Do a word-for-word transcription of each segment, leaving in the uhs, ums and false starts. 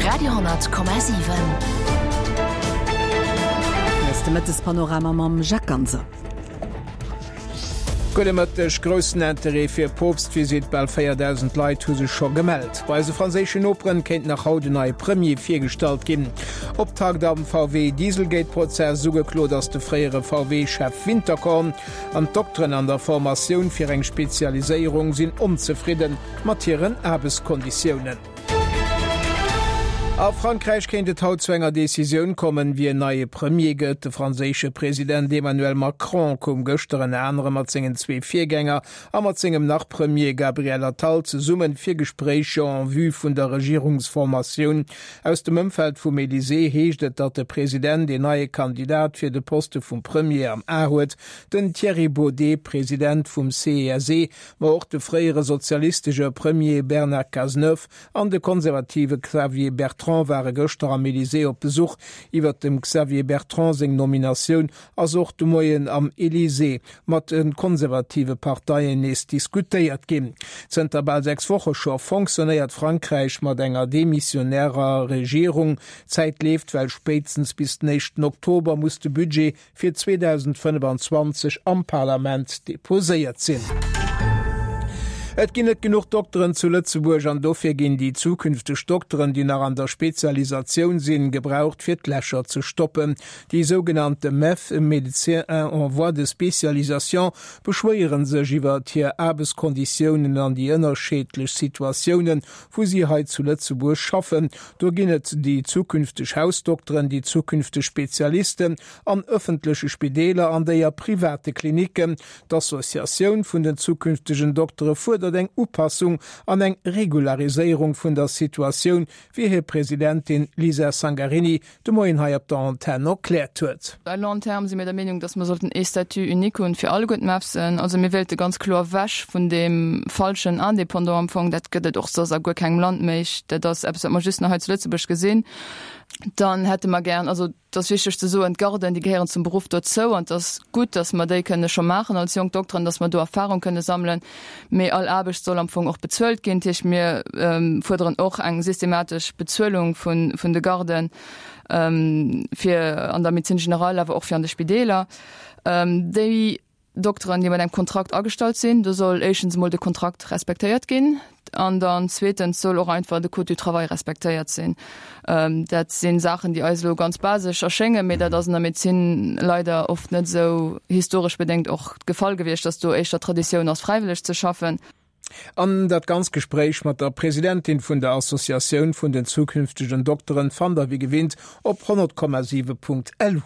Radio honnert Komma siwen. Hei ass de Mëttespanorama mam Jacques Ganser. Gudde Mëtteg. Groussen Interêt fir Poopstvisitt, bal véierdausend Leit hu sech scho gemellt. Bei eise franséischen Noperen kéint nach haut en neie Premier virgestallt ginn. Optakt am V W-Dieselgate-Prozess, Ugeklot ass de fréiere V W-Chef Winterkorn. An d'Dokteren an der Formatioun fir eng Spezialiséierung sinn onzefridde mat hiren Aarbechtskonditiounen. A Frankräich kéint et haut zu enger Decisioun kommen, wien neie Premier gëtt. De franséische President Emmanuel Macron koum gëschter ënner anerem mat sengen zwee Virgänger a mat sengem Nach-Premier Gabriel Attal zesumme fir Gespréicher en vue vun der Regierungsformatioun. Aus dem Ëmfeld vum Elysée heescht et, datt de President een neie Kandidat fir de Poste vum Premier am A huet, den Thierry Baudet, President vum C E S E, ma och de fréiere sozialistesche Premier Bernard Cazeneuve an de konservative Xavier Bertrand ware gëschter am Elysée op Besuch. Iwwer dem Xavier Bertrand seng Nominatioun ass och de Moien am Elysée mat de konservative Parteien nees diskutéiert ginn. Zënter bal sechs Woche scho fonctionnéiert Frankräich mat enger demissionärer Regierung. D'Zäit leeft, well spéitstens bis den éischten Oktober muss de Budget fir zweedausendfënnefanzwanzeg am Parlament deposéiert sinn. Et ginn net genuch Dokteren zu Lëtzebuerg an dofir ginn déi zukünfteg Dokteren, déi nach an der Spezialisatioun sinn, gebraucht fir d'Lächer ze stoppen. Déi sougenannte MEF, Médecins en voie de spécialisation, beschwéiere sech iwwert hir Aarbechtskonditiounen an déi ënnerscheedlech Situatiounen, wou si hei zu Lëtzebuerg schaffen. Do ginn et déi zukünfteg Hausdokteren, déi zukünfteg Spezialisten an ëffentleche Spideeler an déi a private Klinicken. D'Associatioun vun den zukünftegen Doktere fuerdert eng Upassung an eng Regulariséierung vun der Situatioun, wéi hir Presidentin Lisa Sangarini de Moien hei op der Antenn erkläert huet. À long terme si mir der Meenung, dass mer sollten ee Statut unique hunn fir alleguer d'MEFSen. Also mir wéilte ganz kloer ewech vun deem falschen Indépendant am Fong. Dat gëtt et och soss a guer kengem Land méi. Dat ass eppes, wat mer just nach hei zu Lëtzebuerg gesinn. Dann hätte mer gären, also et ass wichteg ze soen, d'Garden, déi gehéieren zum Beruff dozou an et ass gutt, dass mer déi kënne scho maachen als jonk Dokteren, dass mer do Erfahrung kënne sammelen. Mee all Aarbecht soll am Fong och bezuelt ginn. Dat heescht, mir fuerderen och eng systematesch Bezuelung vun, vun de Garden fir an der Médecine générale, awer och fir an de Spideeler. Déi Dokteren, déi mat engem Kontrakt agestallt sinn, do soll éischtens emol de Kontrakt respektéiert ginn an dann zweetens soll och einfach de Code du travail respektéiert sinn. Dat sinn Saachen, déi eis elo ganz basesch erschéngen, mee dat ass an der Medezin leider oft net esou historesch bedéngt och de Fall gewiescht, dass do éischter Traditioun ass fräiwëlleg ze schaffen. An dat ganz Gespréich mat der Presidentin vun der Associatioun vun den zukünftegen Dokteren fannt der wéi gewinnt op honnert Komma siwe Punkt lu.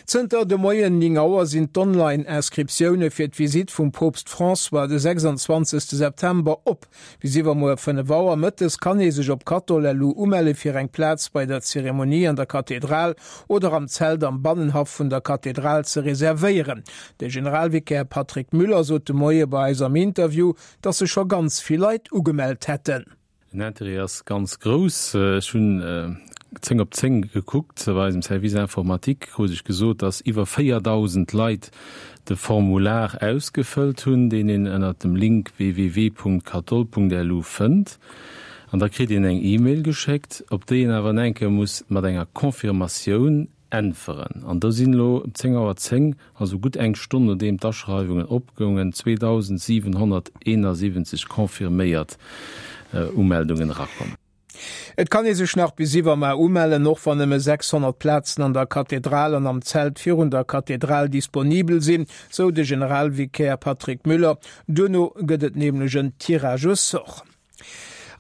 Zënter de Moien néng Auer sinn d'Online-Inscriptioune fir d'Visitt vum Poopst François de sechsanzwanzegste September op. Bis iwwermuer fënnef Auer mëttes kann ee sech op Katol punkt lu umelle fir eng Plaz bei der Zeremonie an der Kathedral oder am Zelt am Bannenhaff vun der Kathedral ze reservéieren. De Generalvikär Patrick Müller sot de Moie bei eis am Interview, datt sech scho ganz vill Leit ugemellt hätten. Den Interêt ass ganz grouss. Ech hunn zéng op zéng gekuckt bei eisem Service informatique, krut ech gesot, dass iwwer véierdausend Leit de Formular ausgefëllt hunn, deen een ënnert dem Link w w w punkt kathol punkt l u fënnt. An da kritt een eng E-Mail geschéckt, op déi een awer enke muss mat enger Confirmatioun äntweren. An do sinn elo um zéng Auer zéng, also gutt eng Stonn nodeem d'Aschreiwungen opgoungen, zweedausendsiwenhonnerteenasiwwenzeg confirméiert Umeldungen erakomm. Et kann ee sech nach bis iwwermuer umellen, och wann nëmme sechshonnert Plazen an der Kathedral an am Zelt virun der Kathedral disponibel sinn, sou de Generalvikär Patrick Müller. Duerno gëtt et nämlech en Tirage au sort.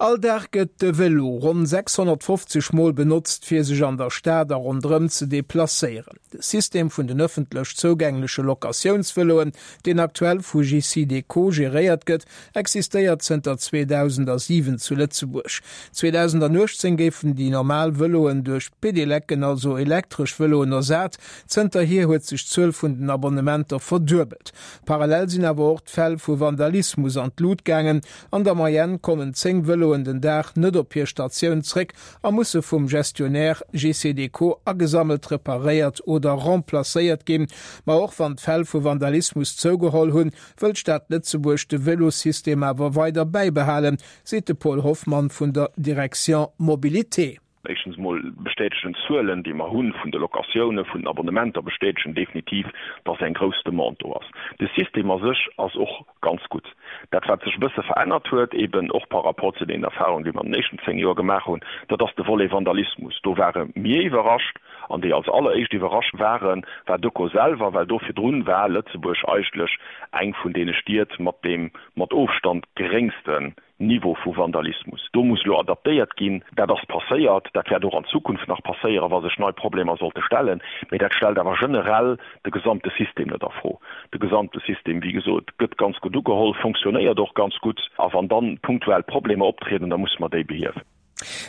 All Dag gëtt de Vélo ronn sechshonnertfofzeg Mol benotzt, fir sech an der Stad a ronderëm ze deplacéieren. De System vun den ëffentlech zougängleche Locatiounsvëloen, deen aktuell vu J C Decaux geréiert gëtt, existéiert zënter zweedausentsiwen zu Lëtzebuerg. zweedausentuechtzéng géifen déi normal Vëloen duerch Pedeleken, also elektresch Vëloen, ersat. Zënterhier huet sech d'Zuel vun den Abonnementer verduebelt. Parallel sinn awer och d'Fäll vu Vandalismus an d'Lut gaangen. An der Moyenne kommen zéng Vëloen den Dag net op hir Statioun zréck a musse vum Gestionnaire J C Decaux agesammelt, reparéiert oder remplacéiert ginn. Ma och wann d'Fäll vu Vandalismus zougeholl hunn, wëll d'Stad Lëtzebuerg de Vëlosystem awer weider bäibehalen, seet de Paul Hoffmann vun der Direction Mobilité. Éischtens mol bestätegen d'Zuelen, déi mer hu vun de Locatiounen, vun den Abonnementer bestätegen definitiv, dass eng grouss Demande do ass. De System a sech ass och ganz gutt. Dat, wat sech e bësse verännert huet, eeben och par rapport zu deenen Erfahrungen, déi mer an den éischten zéng Joer gemaach hunn, dat ass de Volet Vandalismus. Do ware mir iwwerrascht, an déi als alleréischt iwwerrascht waren, war d'Öko selwer, well do virdrun war Lëtzebuerg eigentlech eng vun deene Stied mat deem mat Ofstand geréngsten Niveau vu Vandalismus. Do muss elo adaptéiert ginn. Dat ass passéiert. Dat wäert och an Zukunft nach passéieren, wa sech nei Problemer sollte stellen. Mee dat stellt awer generell de gesamte System net a Fro. De gesamte System, wéi gesot, gëtt ganz gutt ugeholl, fonctionnéiert och ganz gutt. A wann dann punktuell Problemer optrieden, da musse mer déi behiewen.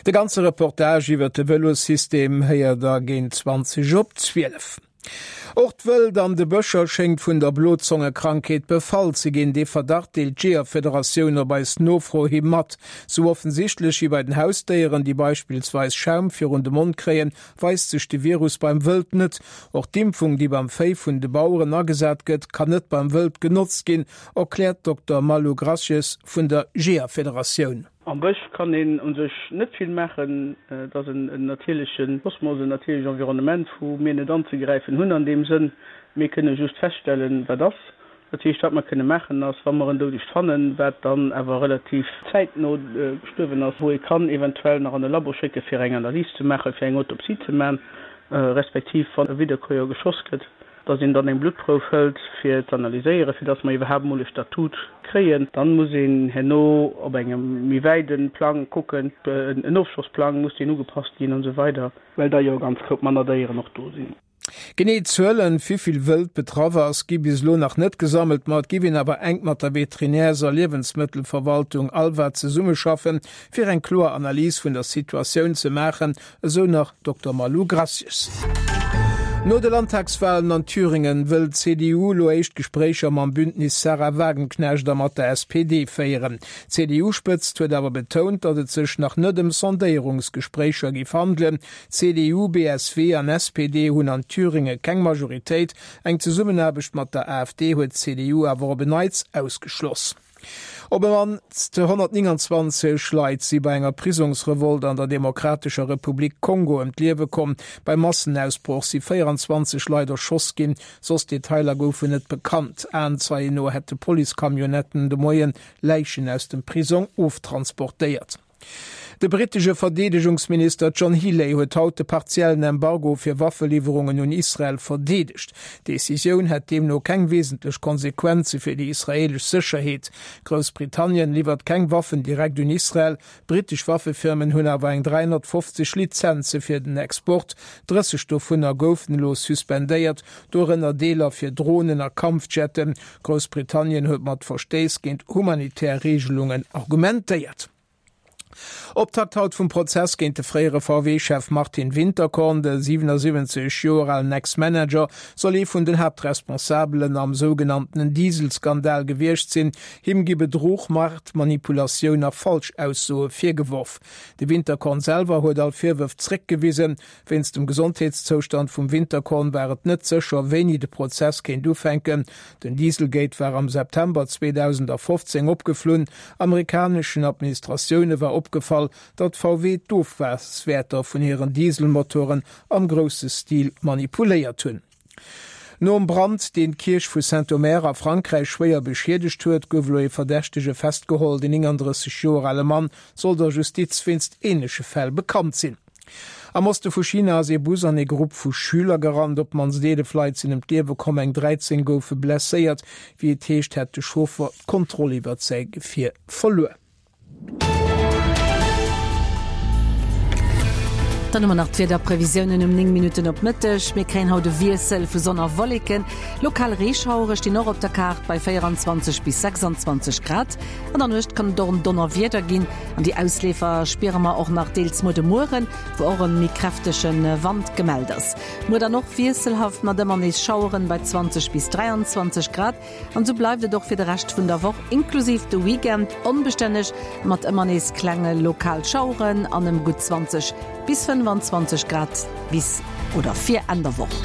De ganze Reportage iwwer de Vëlossystem héiert der géint zwanzeg op zwielef. Och d'Wëld an de Bëscher schéngt vun der Blozongekrankheet befall ze ginn. Dee Verdacht deelt d'Jeeërfederatioun op eis Nofro hi mat. Sou offensichtlech wéi bei den Hausdéieren, déi beispillsweis Schaum virun de Mond kréien, weist sech de Virus beim Wëld net. Och d'Impfung, déi beim Véi vun de Baueren agesat gëtt, kann net beim Wëld genotzt ginn, erkläert d'Dokter Malou Grasjes vun der Jeeërfederatioun. Am Bësch kann een u sech net vill maachen. Et ass en natierleche Kosmos, en natierlecht Environnement, wou mir net anzegräifen hunn an deem Sënn. Mir kënne just feststellen, wat ass. Dat heescht, wat mer kënne maachen, ass, wa mer en Doudegt fannen, wat dann awer relativ zäitno gestuerwen ass, wou ee kann eventuell nach an e Labo schécke fir eng Analys ze maachen, fir eng Autopsie ze maachen, respektiv wann e Wiederkäuer geschoss gëtt, dass een dann eng Bluttprouf hëlt fir z'analyséieren, fir dass mer iwwerhaapt emol e Statut kréien. Dann muss een herno op engem méi wäide Plang kucken, en Ofschossplang, muss deen ugepasst ginn an esou weider, well da jo e ganz Koup manner Déieren och do sinn. Genee Zuelen, wivill Wëld betraff ass, gi bis elo nach net gesammelt, ma et giff een awer enk mat der Veterinärs a Liewensmëttelverwaltung ALVA zesummeschaffen, fir eng kloer Analys vun der Situatioun ze maachen, esou nach Dokter Malou Gracius. No de Landtagswalen an Thüringen wëll d'C D U elo éischt Gespréicher mam Bündnis Sahra Wagenknecht a mat der S P D féieren. D'C D U-Spëtzt huet awer betount, datt et sech nach net ëm Sondéierungsgespréicher géif handelen. C D U, B S W an S P D hunn an Thüringe keng Majoritéit. Eng Zesummenaarbecht mat der A F D huet d'C D U awer op en Neits ausgeschloss. Op e mannst honnertnénganzwanzeg Leit si bei enger Prisongsrevolt an der Demokratescher Republik Kongo ëm d'Liewe komm. Beim Massenausbroch si véieranzwanzeg Leit erschoss ginn, soss Detailer goufen net bekannt. Aenzeien no hätte Policecamionnetten de Moien Läichen aus dem Prisong oftransportéiert. De brittesche Verdeedegungsminister John Healey huet haut de partiellen Embargo fir Waffeliwwerungen un Israel verdeedegt. D'Decisioun hätt deemno keng wesentlech Konsequenze fir déi israeelesch Sécherheet. Groussbritannien liwwert keng Waffen direkt un Israel, brittesch Waffefirmen hunn awer eng dräihonnertfofzeg Lizenze fir den Export, drësseg dovunner goufen elo suspendéiert, dorënner Deeler fir Dronen a Kampfjetten. Groussbritannien huet mat Verstéiss géint humanitär Reegelungen argumentéiert. Optakt haut vum Prozess géint de fréiere V W-Chef Martin Winterkorn. De siwenasiwwenzeg Joer alen Ex-Manager soll ee vun den Haaptresponsabelen am sougenannten Dieselskandal gewiescht sinn. Him gi Bedruch, Maartmanipulatioun a Falschaussoe virgeworf. De Winterkorn selwer huet all Virwërf zréckgewisen. Wéinst dem Gesondheetszoustand vum Winterkorn war et net sécher, wéini de Prozess kéint ufänken. Den Dieselgate war am September zweedausendafofzéng opgeflunn. Amerikaneschen Administratioune war opgefall, datt V W d'Ofgaswäerter vun hiren Dieselmotoren am grousse Stil manipuléiert hunn. Nom Brand, deen d'Kierch vu Saint-Omer a Frankräich schwéier beschiedegt huet, gouf elo ee Verdächtege festgeholl. Den nénganddrësseg Joer ale Mann soll der Justiz wéinst änleche Fäll bekannt sinn. Am Oste vu China ass ee Bus an ee Grupp vu Schüler gerannt. Op d'mannst eelef Leit sinn ëm d'Liewe komm, eng dräizéng goufe blesséiert. Wéi et heescht, hätt de Chauffer d'Kontroll iwwert säi Gefier verluer. Dann hu mer nach d'Wiederprevisiounen um néng Minutten op Mëtteg. Mir kréien haut e Wiessel vu Sonn a Wolleken. Lokal Reeschauere stinn och op der Kaart bei véieranzwanzeg bis sechsanzwanzeg Grad. An der Nuecht kann et och en Donnerwieder ginn an déi Ausleefer spiere mer och nach deels muer de Mueren, wou och e méi kräftege Wand gemellt ass. Muer dann och wiesselhaft mat ëmmer nees Schaueren bei zwanzeg bis dräianzwanzeg Grad. An esou bleift et och fir de Rescht vun der Woch inklusiv de Weekend onbestänneg mat ëmmer nees klenge lokal Schaueren an ëm gutt zwanzeg bis fënnefanzwanzeg Grad bis oder fir Enn der Woch.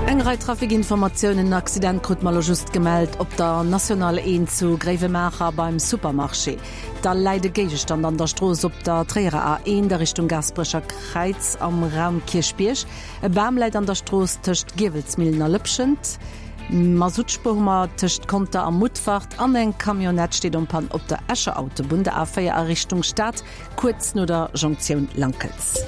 Eng Eng Rei Trafikinformatiounen, En Accident krut mer elo just gemellt op der Nationale eent zu Gréiwemaacher beim Supermarché. Da läit e Géigestand an der Strooss op der Tréierer A eent a Richtung Gaasperecher Kräiz am Raum Kierchbierg. E Bam läit an der Strooss tëscht Giewelsmillen a Lëpschent. Masuttspuer hu mer tëscht Conter a Mutfert an eng Camionnette steet en panne op der Escher Autobunn, der A véier a Richtung Stad, kuerz no der Jonktioun Lankels.